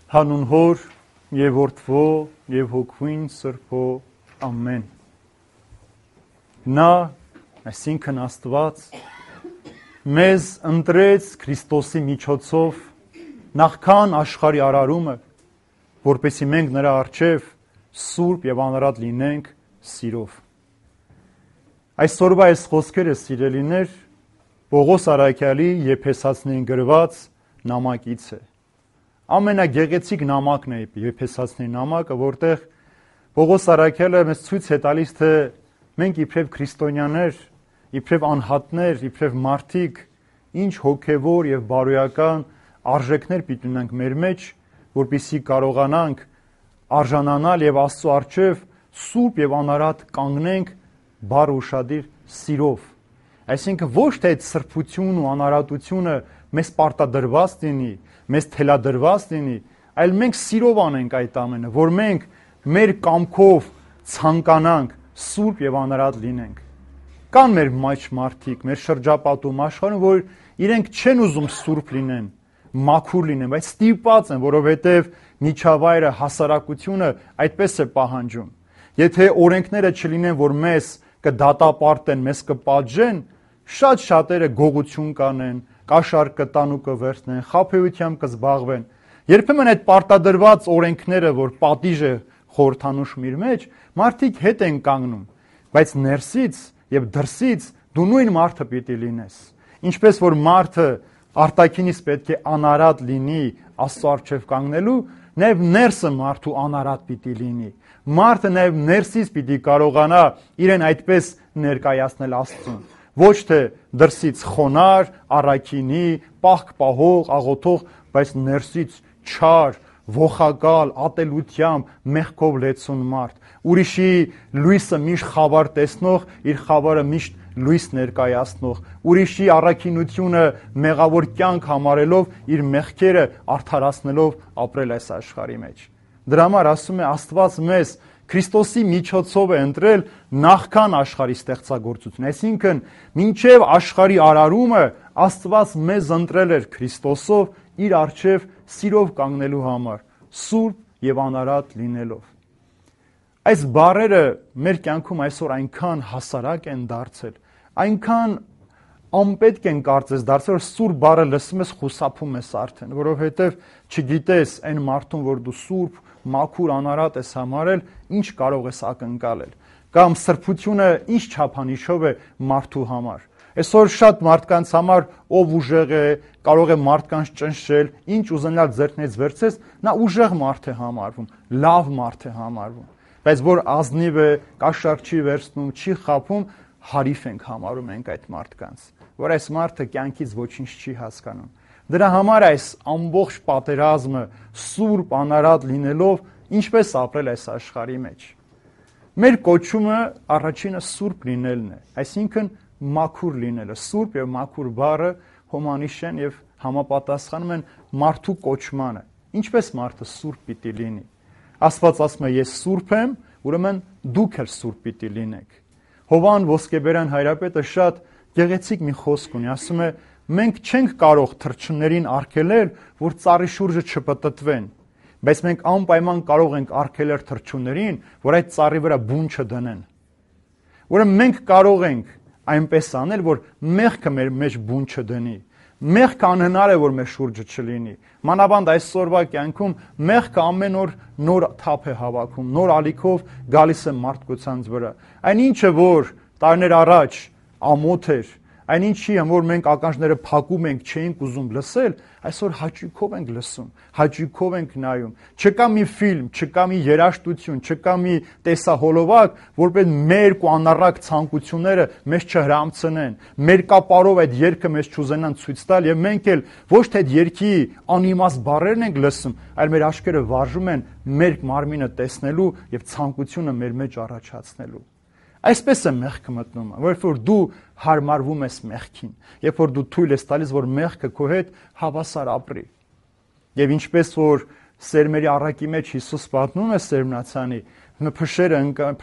Հանուն Հոր եւ Որդվո եւ Հոգուին Սրբո ամեն։ Նա, այսինքն Աստված, մեզ ընտրեց Քրիստոսի միջոցով նախքան աշխարհի արարումը, որպեսզի մենք նրա առջև սուրբ եւ անարատ լինենք սիրով։ Այսօրվա այս խոսքերը, սիրելիներ, Պողոս Արաքյալի Եփեսացիներին գրված նամակից է։ Ամենագեղեցիկ նամակն է Եփեսացիների նամակը, որտեղ Պողոս Արաքյալը մեզ ցույց է տալիս, թե մենք իբրև քրիստոնյաներ, իբրև անհատներ, իբրև մարդիկ, ինչ հոգևոր եւ բարոյական արժեքներ պիտի ունենք մեր մեջ, որպեսզի կարողանանք արժանանալ եւ Աստծո առջև սուրբ եւ անարատ կանգնենք բար ուշադիր սիրով։ Այսինքն ոչ թե այդ սրբությունն ու անարատությունը մեզ պարտադրված լինի, մեզ թելադրված լինի, այլ մենք սիրով անենք այդ ամենը, որ մենք մեր կամքով ցանկանանք սուրբ եւ անարատ լինենք։ Կան մեր մեջ մարդիկ, մեր շրջապատում աշխարհում, որ իրենք չեն ուզում սուրբ լինեն, մաքուր լինեն, բայց ստիպված են, որովհետեւ միջավայրը, հասարակությունը այդպես է պահանջում։ Եթե օրենքները չլինեն, որ մեզ կդատապարտեն, մեզ կպատժեն, շատ շատերը գողություն կանեն, կաշառք կտան ու կվերցնեն, խաբեությամբ կզբաղվեն։ Երբեմն այդ պարտադրված օրենքները, որ պատիժ է խորհրդանշում իր մեջ, մարդիկ հետ են կանգնում, բայց ներսից եւ դրսից դու նույն մարդը պիտի լինես։ Ինչպես որ մարդը արտաքինից պետք է անարատ լինի Աստծո առջև կանգնելու, նաեւ ներսը մարդու անարատ պիտի լինի։ Մարդը նաեւ ներսից պիտի կարողանա իրեն այդպես ներկայացնել Աստծուն։ Ոչ թե դրսից խոնար, առաքինի, պահք պահող, աղոթող, բայց ներսից չար, ողակալ, ատելությամբ, մեղքով լեցուն մարդ։ Ուրիշի լույսը միշտ խավար տեսնող, իր խավարը միշտ լույս ներկայացնող, ուրիշի առաքինությունը մեղավոր կյանք համարելով, իր մեղքերը արդարացնելով ապրել այս աշխարհի մեջ։ Դրա համար ասում է Աստված մեզ Քրիստոսի միջոցով է ընտրել նախքան աշխարհի ստեղծագործություն, այսինքն մինչև աշխարհի արարումը Աստված մեզ ընտրել էր Քրիստոսով իր առջև սիրով կանգնելու համար, սուրբ եւ անարատ լինելով։ Այս բառերը մեր կյանքում այսօր այնքան հասարակ են դարձել, այնքան անպետք են կարծես դարձել, որ սուրբ բառը լսում ես խուսափում ես արդեն, որովհետեւ չգիտես այն մարդուն, որ դու սուրբ մաքուր անարատ ես համարել, ինչ կարող ես ակնկալել, կամ սրբությունը ինչ չափանիշով է մարդու համար։ Այսօր շատ մարդկանց համար ով ուժեղ է, կարող է մարդկանց ճնշել, ինչ ուզենալ ձեռքից վերցես, նա ուժեղ մարդ է համարվում, լավ մարդ է համարվում, բայց որ ազնիվ է, կաշառք չի վերցնում, չի խաբում, հարիվ ենք համարում ենք այդ մարդկանց, որ այս մարդը կյանքից ոչինչ չի հասկանում։ Դրա համար այս ամբողջ պատերազմը սուրբ անարատ լինելով ինչպես ապրել այս աշխարհի մեջ։ Մեր կոչումը առաջինը սուրբ լինելն է, այսինքն մաքուր լինելը։ Սուրբ եւ մաքուր բառը հոմանիշ են եւ համապատասխանում են մարդու կոչմանը։ Ինչպես մարդը սուրբ պիտի լինի։ Աստված ասում է ես սուրբ եմ, ուրեմն դուք էլ սուրբ պիտի լինեք։ Հովան Ոսկեբերյան հայրապետը շատ գեղեցիկ մի խոսք ունի, ասում է մենք չենք կարող թռչուններին արգելել, որ ծառի շուրջը չպտտվեն, բայց մենք անպայման կարող ենք արգելել թռչուններին, որ այդ ծառի վրա բուն չդնեն։ Ուրեմն մենք կարող ենք այնպես անել, որ մեղքը մեր մեջ բուն չդնի։ Մեղքը անհնար է, որ մեր շուրջը չլինի։ Մանավանդ այսօրվա կյանքում մեղքը ամեն օր նոր թափ է հավաքում, նոր ալիքով գալիս է մարդկությանց վրա։ Այն ինչը, որ տարիներ առաջ ամոթ էր, այնինչի որ մենք ականջները փակում ենք, չէինք ուզում լսել, այսօր հաճույքով ենք լսում, հաճույքով ենք նայում։ Չկա մի ֆիլմ, չկա մի երաժշտություն, չկա մի տեսահոլովակ, որպես մեր ու անառակ ցանկությունները մեզ չհրամցնեն, մեր կապարով այդ երգը մեզ չուզենան ցույց տալ, եւ մենք էլ ոչ թե այդ երգի անիմաստ բառերն ենք լսում, այլ մեր աչքերը վարժում են մեր մարմինը տեսնելու եւ ցանկությունը մեր մեջ առաջացնելու։ Այսպես է մեղքը մտնում, որովհետև որ դու հարմարվում ես մեղքին, երբ որ դու թույլ ես տալիս, որ մեղքը քո հետ հավասար ապրի։ Եվ ինչպես որ սերմերի առակի մեջ Հիսուս պատմում է սերմնացանի,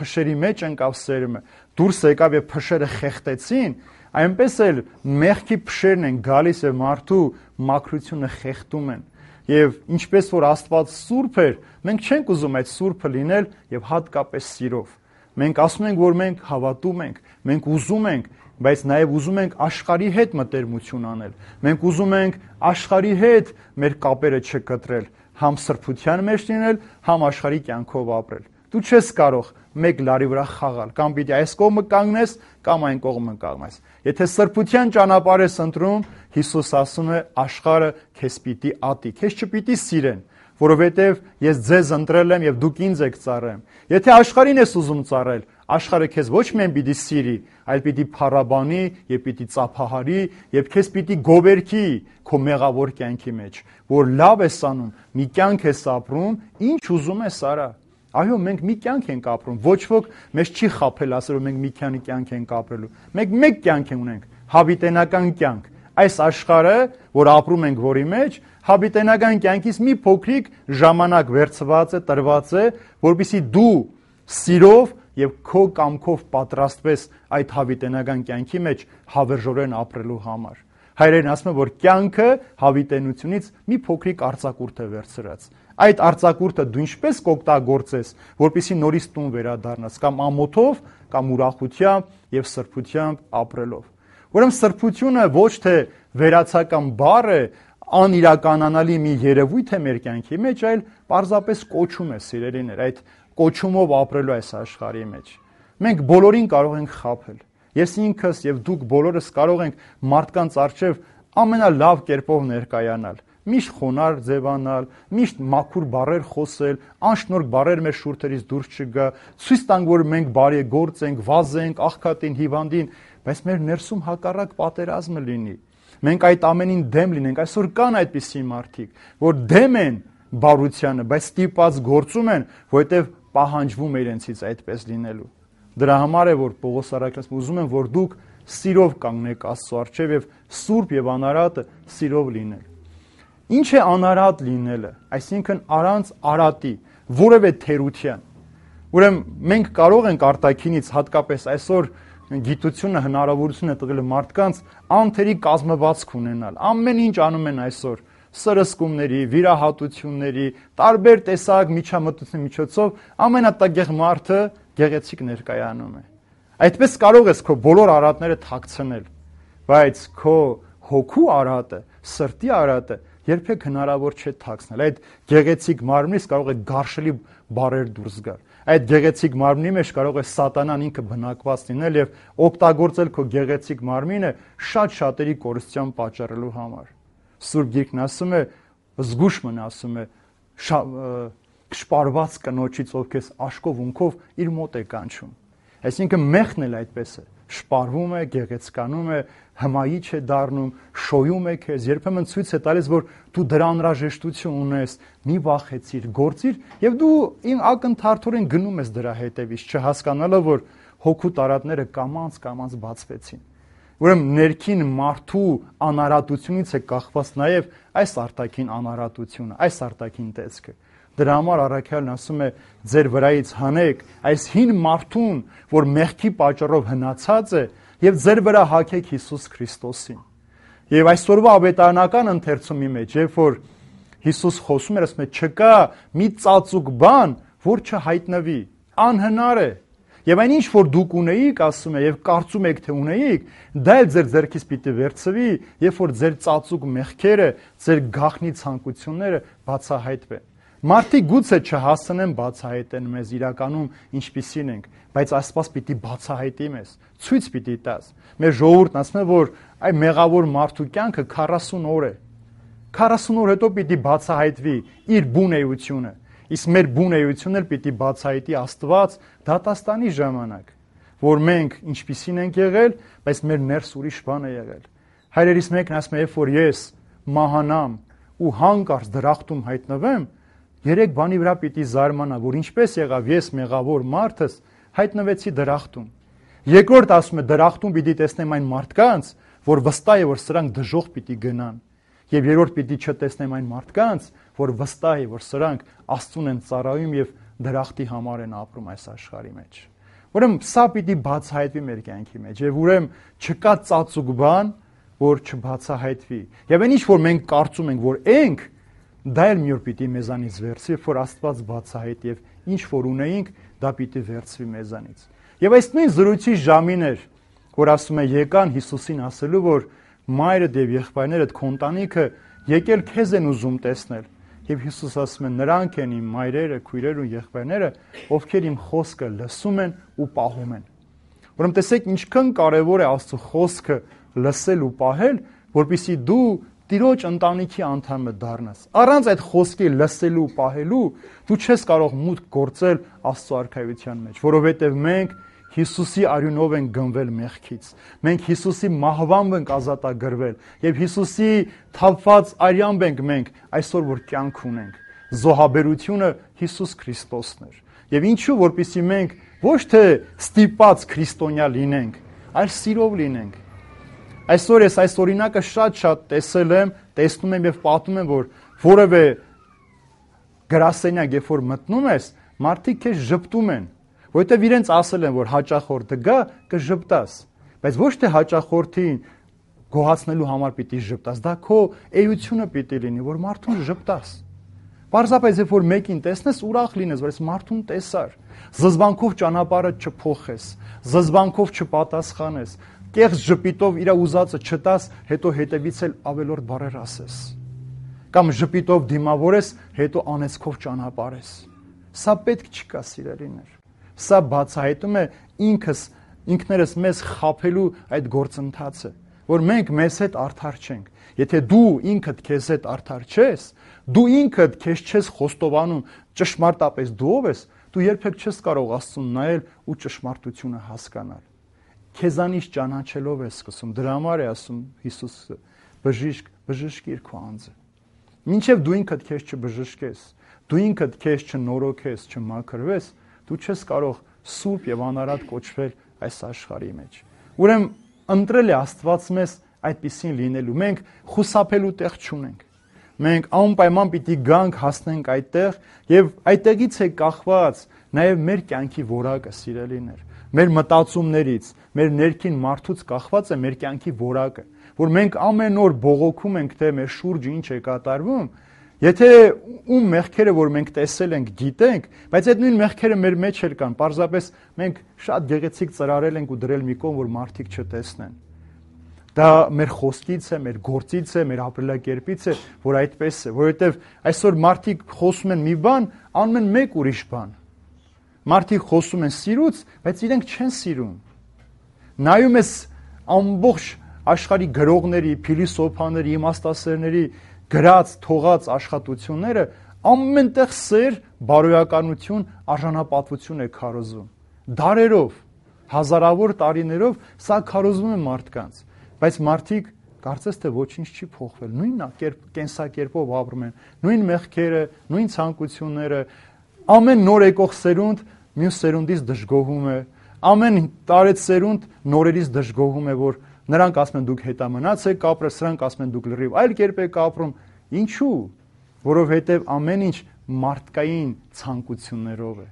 փշերի մեջ ընկավ սերմը, դուրս եկավ եւ փշերը խեղտեցին, այնպես էլ մեղքի փշերն են գալիս եւ մարդու մաքրությունը խեղդում են։ եւ ինչպես որ Աստված սուրբ էր, մենք չենք ուզում այդ սուրբը լինել եւ հատկապես սիրով։ Մենք ասում ենք, որ մենք հավատում ենք, մենք ուզում ենք, բայց նաեւ ուզում ենք աշխարհի հետ մտերմություն անել։ Մենք ուզում ենք աշխարհի հետ մեր կապերը չկտրել, համ սրբության մեջ լինել, համ աշխարհի կյանքով ապրել։ Դու չես կարող մեկ լարի վրա խաղալ, կամ պիտի այս կողմը կանգնես, կամ այն կողմը կանգնես։ Եթե սրբության ճանապարհ ես ընտրում, Հիսուս ասում է, աշխարհը քեզ պիտի ատի, քեզ չպիտի սիրեն, որովհետև ես ձեզ ընտրել եմ եւ դուք ինձ եք ծառայում։ Եթե աշխարհին ես ուզում ծառայել, աշխարհը քեզ ոչ միայն պիտի սիրի, այլ պիտի փառաբանի եւ պիտի ծափահարի եւ քեզ պիտի գովերքի քո մեղավոր կյանքի մեջ, որ լավ ես անում, մի կյանք ես ապրում, ինչ ուզում ես արա։ Այո, մենք մի կյանք ենք ապրում, ոչ ոք մեզ չի խաբել ասել, որ մենք մի քանի կյանք ենք ապրելու։ Մենք մեկ կյանք ունենք, հավիտենական կյանք։ Այս աշխարհը, որ ապրում ենք, որի մեջ, հավիտենական կյանքից մի փոքրիկ ժամանակ վերցված է, տրված է, որպեսզի դու սիրով եւ քո կամքով պատրաստվես այդ հավիտենական կյանքի մեջ հավերժորեն ապրելու համար։ Հայրերն ասում են, որ կյանքը հավիտենությունից մի փոքրիկ արձակուրդ է վերցրած։ Այդ արձակուրդը դու ինչպես կօգտագործես, որպեսզի նորից տուն վերադառնաս, կամ ամոթով, կամ ուրախությամբ եւ սրբությամբ ապրելով։ Ուրեմն սրբությունը ոչ թե վերացական բառ է, անիրականանալի մի երևույթ է մեր կյանքի մեջ, այլ պարզապես կոչում է, սիրելիներ, այդ կոչումով ապրելու այս աշխարհի մեջ։ Մենք բոլորին կարող ենք խաբել։ Ես ինքս եւ դուք բոլորս կարող ենք մարդկանց առջև ամենալավ կերպով ներկայանալ, միշտ խոնարհ ձևանալ, միշտ մաքուր բառեր խոսել, անշնորհք բառեր մեր շուրթերից դուրս չգա, ցույց տանք, որ մենք բարեգործ ենք, վազ ենք, աղքատին, հիվանդին, բայց մեր ներսում հակառակ պատերազմը լինի։ Մենք այդ ամենին դեմ լինենք։ Այսօր կան այդպիսի մարդիկ, որ դեմ են բարությանը, բայց ստիպված գործում են, որովհետև պահանջվում է իրենցից այդպես լինելու։ Դրա համար է, որ Պողոս առաքյալն ուզում են, որ դուք սիրով կանգնեք Աստծո առջև եւ սուրբ եւ անարատը սիրով լինել։ Ինչ է անարատ լինելը, այսինքն առանց արատի, որևէ թերության։ Ուրեմն մենք կարող ենք արտաքինից, հատկապես այսօր գիտությունը հնարավորություն է տվել մարդկանց անթերի կազմվածք ունենալ։ Ամեն ինչ անում են այսօր սրսկումների, վիրահատությունների, տարբեր տեսակ միջամտությունների միջոցով ամենատագեղ մարդը գեղեցիկ ներկայանում է։ Այդպես կարող ես քո բոլոր արատները թաքցնել, բայց քո հոգու արատը, սրտի արատը երբեք հնարավոր չէ թաքցնել։ Այդ գեղեցիկ մարմնից կարող է գարշելի բառեր դուրս գալ։ Այդ գեղեցիկ մարմնի մեջ կարող է սատանան ինքը բնակված լինել եւ օգտագործել քո գեղեցիկ մարմինը շատ շատերի կորստյան պատճառելու համար։ Սուրբ Գիրքն ասում է, զգուշ մնա, ասում է, շպարված կնոջից, ով քեզ աշկով ունքով իր մոտ է կանչում։ Այսինքն մեղքն էլ այդպես է, շպարվում է, գեղեցկանում է, հմայիչ է դառնում, շոյում է քեզ, երբեմն ցույց է տալիս, որ դու դրա անհրաժեշտություն ունես, մի վախեցիր, գործիր, եւ դու ակնթարթորեն գնում ես դրա հետևից, չհասկանալով, որ հոգու տարատները կամած բացվեցին։ Ուրեմն ներքին մարդու անարատությունից է կախված նաև այս արտաքին անարատությունը, այս արտաքին տեսքը։ Դրա համար առաքյալն ասում է, ձեր վրայից հանեք այս հին մարդուն, որ մեղքի պատճառով հնացած է, եւ ձեր վրա հագեք Հիսուս Քրիստոսին։ Եվ այսօրվա ավետարանական ընթերցումի մեջ, երբ որ Հիսուս խոսում էր, ասում է, չկա մի ծածուկ բան, որ չհայտնվի, անհնար է։ Եվ այն ինչ որ դուք ունեիք, ասում է, եւ կարծում եք թե ունեիք, դա էլ ձեր ձեռքից պիտի վերցվի, երբ որ ձեր ծածուկ մեղքերը, ձեր գաղտնի ցանկությունները բացահայտվեն։ Մարդիկ գուցե չհասնեն բացահայտեն մեզ իրականում ինչպիսին ենք, բայց Աստված պիտի բացահայտի մեզ, ցույց պիտի տաս։ Մեր ժողովուրդն ասում է, որ այ մեղավոր մարդու կյանքը 40 օր է։ 40 օր հետո պիտի բացահայտվի իր բուն էությունը։ Իսկ մեր բուն էությունն էլ պիտի բացահայտի Աստված դատաստանի ժամանակ, որ մենք ինչպիսին ենք եղել, բայց մեր ներս ուրիշ բան է եղել։ Հայրերիս մեկն ասում է, երբ որ ես մահանամ ու հանկարծ դրախտում հայտնվեմ, 3 բանի վրա պիտի զարմանա, որ ինչպես եղավ ես մեղավոր մարդս հայտնվեցի դրախտում։ Երկրորդ ասում է, դրախտում պիտի տեսնեմ այն մարդկանց, որ վստահ է, որ սրանք դժոխք պիտի գնան։ Եվ երրորդ պիտի չտեսնեմ այն մարդկանց, որ վստահ է, որ սրանք Աստծուն են ծառայում եւ դրախտի համար են ապրում այս աշխարհի մեջ։ Ուրեմն սա պիտի բացահայտվի մեր կյանքի մեջ եւ ուրեմն չկա ծածուկ բան, որ չբացահայտվի։ Եվ այն ինչ որ մենք կարծում ենք, որ ենք, դա էլ մի օր պիտի մեզանից վերցվի, որ Աստված բացահայտ եւ ինչ որ ունեինք, դա պիտի վերցվի մեզանից։ Եվ այս նույն զրույցի ժամին էր, որ ասում է եկան Հիսուսին ասելու, որ մայրդ եւ եղբայրներդ քո ընտանիքը եկել քեզ են ուզում տեսնել։ Եվ Հիսուս ասում է նրանք են իմ մայրերը, քույրերը ու եղբայրները, ովքեր իմ խոսքը լսում են ու պահում են։ Ուրեմն տեսեք ինչքան կարևոր է Աստծո խոսքը լսել ու պահել, որպեսզի դու Տիրոջ ընտանիքի անդամը դառնաս։ Առանց այդ խոսքի լսելու ու պահելու դու չես կարող մուտք գործել Աստծո արքայության մեջ, որովհետև մենք Հիսուսի արյունով ենք գնվել մեղքից։ Մենք Հիսուսի մահվամբ ենք ազատագրվել եւ Հիսուսի թափված արյամբ ենք մենք այսօր որ կյանք ունենք։ Զոհաբերությունը Հիսուս Քրիստոսն էր։ Եվ ինչու որպեսզի մենք ոչ թե ստիպած քրիստոնյա լինենք, այլ սիրով լինենք։ Այսօր ես այս օրինակը շատ տեսել եմ, տեսնում եմ եւ պատմում եմ, որ որևէ գրասենյակ երբ որ մտնում ես, մարդիկ քեզ ժպտում են, որովհետեւ իրենց ասել են, որ հաճախորդը գա, կժպտաս, բայց ոչ թե հաճախորդին գոհացնելու համար պիտի ժպտաս, դա քո էությունը պիտի լինի, որ մարդուն ժպտաս։ Պարզապես երբ որ մեկին տեսնես, ուրախ լինես, որ այս մարդուն տեսար, զզվանքով ճանապարհը չփոխես, զզվանքով չպատասխանես, կեղծ ժպիտով իր ուզածը չտաս, հետո հետևից էլ ավելորդ բառեր ասես։ Կամ ժպիտով դիմավորես, հետո անեծքով ճանապարհես։ Սա պետք չկա, սիրելիներ։ Սա բացահայտում է ինքներս մեզ խաբելու այդ գործընթացը, որ մենք մեզ հետ արդար չենք։ Եթե դու ինքդ քեզ հետ արդար չես, դու ինքդ քեզ չես խոստովանում ճշմարտապես դու ով ես, դու երբեք չես կարող Աստծուն նայել ու ճշմարտությունը հասկանալ։ Քեզանից ճանաչելով ես սկսում։ Դրա համար է ասում Հիսուսը. բժիշկ, բժշկիր քո անձը։ Մինչև դու ինքդ քեզ չբժշկես, դու ինքդ քեզ չնորոգես, չմաքրվես, դու չես կարող սուրբ եւ անարատ կոչվել այս աշխարհի մեջ։ Ուրեմն ընտրել է Աստված մեզ այդպիսին լինելու։ Մենք խուսափելու տեղ չունենք։ Մենք անպայման պիտի գանք, հասնենք այդտեղ եւ այդտեղից է կախված նաեւ մեր կյանքի որակը, սիրելիներ։ Մեր մտածումներից, մեր ներքին մարդուց կախված է մեր կյանքի որակը, որ մենք ամեն օր բողոքում ենք, թե մեր շուրջը ինչ է կատարվում, եթե ում մեղքերը, որ մենք տեսել ենք, գիտենք, բայց այդ նույն մեղքերը մեր մեջ էլ կան, պարզապես մենք շատ գեղեցիկ ծրարել ենք ու դրել մի կողմ, որ մարդիկ չտեսնեն։ Դա մեր խոսքից է, մեր գործից է, մեր ապրելակերպից է, որ այդպես է, որովհետև այսօր մարդիկ խոսում են մի բան, անում են մեկ ուրիշ բան։ Մարդիկ խոսում են սիրուց, բայց իրենք չեն սիրում։ Նայում ես ամբողջ աշխարհի գրողների, փիլիսոփաների, իմաստասերների գրած, թողած աշխատությունները ամենտեղ սեր, բարոյականություն, արժանապատվություն է քարոզում։ Դարերով, հազարավոր տարիներով սա քարոզվում է մարդկանց, բայց մարդիկ կարծես թե ոչինչ չի փոխվել, նույն կենսակերպով ապրում են, նույն մեղքերը, նույն ցանկությունները, ամեն նոր եկող սերունդ մյուս սերունդից դժգոհում է, ամեն տարեց սերունդ նորերից դժգոհում է, որ նրանք ասում են դուք հետամնաց եք ապրել, սրանք ասում են դուք լրիվ այլ կերպ եք ապրում։ Ինչու՞։ Որովհետև ամեն ինչ մարդկային ցանկություններով է։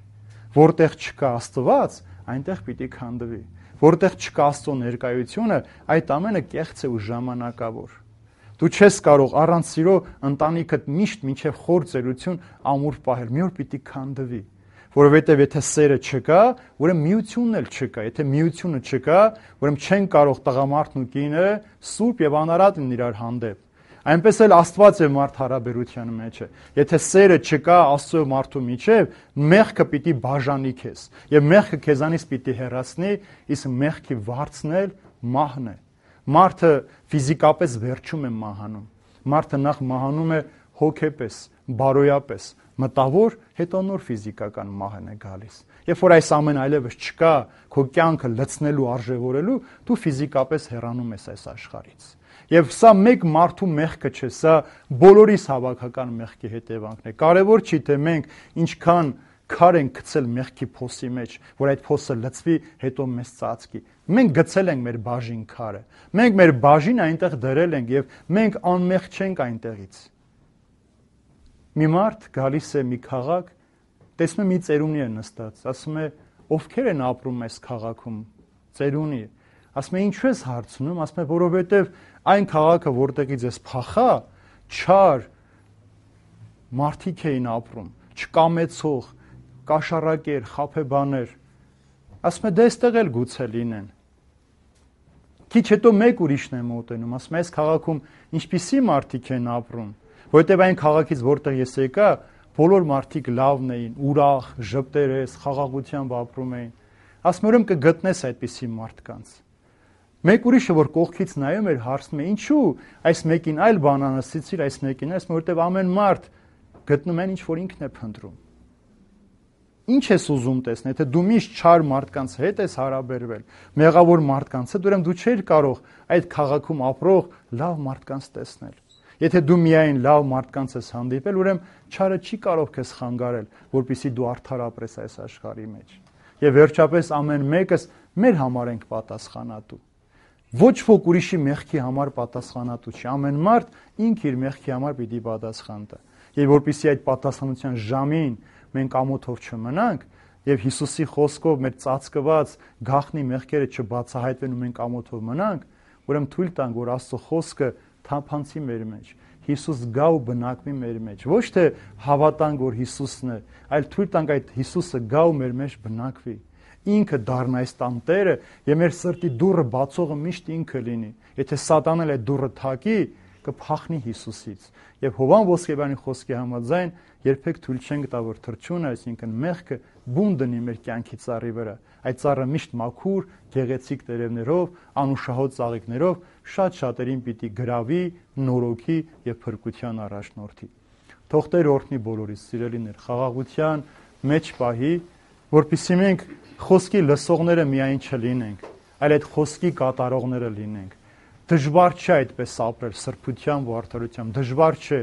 Որտեղ չկա Աստված, այնտեղ պիտի քանդվի։ Որտեղ չկա Աստծո ներկայությունը, այդ ամենը կեղծ է ու ժամանակավոր։ Դու չես կարող առանց սիրո ընտանիքդ միշտ մինչև խոր ծերություն ամուր պահել, մի օր պիտի քանդվի։ Որովհետև եթե սերը չկա, ուրեմն միությունն էլ չկա։ Եթե միությունը չկա, ուրեմն չեն կարող տղամարդն ու կինը սուրբ եւ անարատ լինել իրար հանդեպ։ Այնպես էլ Աստված է մարդ հարաբերության մեջ է։ Եթե սերը չկա Աստծո մարդու միջև, մեղքը պիտի բաժանի քեզ, եւ մեղքը քեզանից պիտի հեռացնի, իսկ մեղքի վարձն էլ մահն է։ Մարդը ֆիզիկապես վերջում է մահանում։ Մարդը նախ մահանում է հոգեպես, բարոյապես, մտավոր, հետո նոր ֆիզիկական մահն է գալիս։ Երբ որ այս ամեն այլևս չկա, քո կյանքը լցնելու, արժևորելու, դու ֆիզիկապես հեռանում ես այս աշխարհից։ Եվ սա մեկ մարդու մեղքը չէ, սա բոլորիս հավաքական մեղքի հետևանքն է։ Կարևոր չի թե մենք ինչքան քար ենք գցել մեղքի փոսի մեջ, որ այդ փոսը լցվի, հետո մեզ ծածկի։ Մենք գցել ենք մեր բաժին քարը։ Մենք մեր բաժին այնտեղ դրել ենք եւ մենք անմեղ չենք այնտեղից։ Մի մարդ գալիս է մի քաղաք, տեսնում մի ծերունի է նստած, ասում է ովքեր են ապրում այս քաղաքում, ծերունի։ Ասում է ինչու ես հարցնում, ասում է որովհետեւ այն քաղաքը, որտեղից ես փախա, չար, մարդիկ էին ապրում, չկամեցող, կաշառակեր, խաբեբաներ։ Ասում է, դե այստեղ էլ գուցե լինեն։ Քիչ հետո մեկ ուրիշն է մոտենում, ասում է, այս քաղաքում ինչպիսի մարդիկ են ապրում, որովհետև այն քաղաքից, որտեղ ես եկա, բոլոր մարդիկ լավն էին, ուրախ, ժպտերես, խաղաղությամբ ապրում էին։ Ասում եմ, կգտնես այդպիսի մարդկանց։ Մեկ ուրիշը, որ կողքից նայում էր, հարցնում է, ինչու այս մեկին այլ բան անասիցիր, այս մեկին, որովհետև ամեն մարդ գտնում են ինչ որ ինքն է փնտրում։ Ինչ ես ուզում տեսնել, եթե դու միշտ չար մարդկանց հետ ես հարաբերվել, մեղավոր մարդկանց հետ, ուրեմն դու չէիր կարող այդ քաղաքում ապրող լավ մարդկանց տեսնել։ Եթե դու միայն լավ մարդկանց ես հանդիպել, ուրեմն չարը չի կարող քեզ խանգարել, որպեսզի դու արդար ապրես այս աշխարհի մեջ։ Եվ վերջապես ամեն մեկս մեր համար ենք պատասխանատու։ Ոչ ոք ուրիշի մեղքի համար պատասխանատու չի։ Ամեն մարդ ինքը իր մեղքի համար պիտի պատասխան տա։ Եվ որպեսզի այդ պատասխանության ժամին մենք ամոթով չմնանք եւ Հիսուսի խոսքով մեր ծածկված գաղտնի մեղքերը չբացահայտվեն ու մենք ամոթով մնանք, ուրեմն թույլ տանք, որ Աստծո խոսքը թափանցի մեր մեջ։ Հիսուս գա ու բնակվի մեր մեջ։ Ոչ թե հավատանք, որ Հիսուսն է, այլ թույլ տանք այդ Հիսուսը գա ու մեր մեջ բնակվի։ Ինքը դառնա այս տան Տերը եւ մեր սրտի դուռը բացողը միշտ ինքը լինի։ Եթե Սատանան այդ դուռը թակի, կփախնի Հիսուսից։ Եվ Հովան Ոսկեբյանի խոսքի համաձայն երբեք թույլ չենք տա, որ թրջունը, այսինքն մեղքը բուն դնի մեր կյանքի ծառի վրա։ Այդ ծառը միշտ մաքուր, գեղեցիկ տերևներով, անուշահոտ ծաղիկներով շատ շատերին պիտի գրավի, նորոգի եւ փրկության առաջնորդի։ Թող Տեր օրհնի բոլորիս, սիրելիներ, խաղաղության մեջ պահի, որպեսզի մենք խոսքի լսողները միայն չլինենք, այլ այդ խոսքի կատարողները լինենք։ Դժվար չէ այդպես ապրել սրբությամբ ու արդարությամբ, դժվար չէ։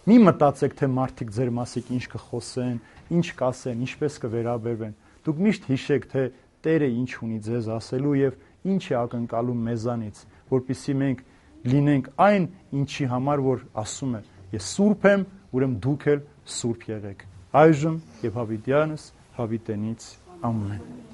Մի մտածեք, թե մարդիկ ձեր մասիկ ինչ կխոսեն, ինչ կասեն, ինչպես կվերաբերվեն։ Դուք միշտ հիշեք, թե Տերը ինչ ունի ձեզ ասելու եւ ինչ է ակնկալում մեզանից, որպեսզի մենք լինենք այն, ինչի համար որ ասում է. Ես սուրբ եմ, ուրեմն դուք էլ սուրբ եղեք։ Այժմ եւ հավիտյանս հավիտենից ամեն։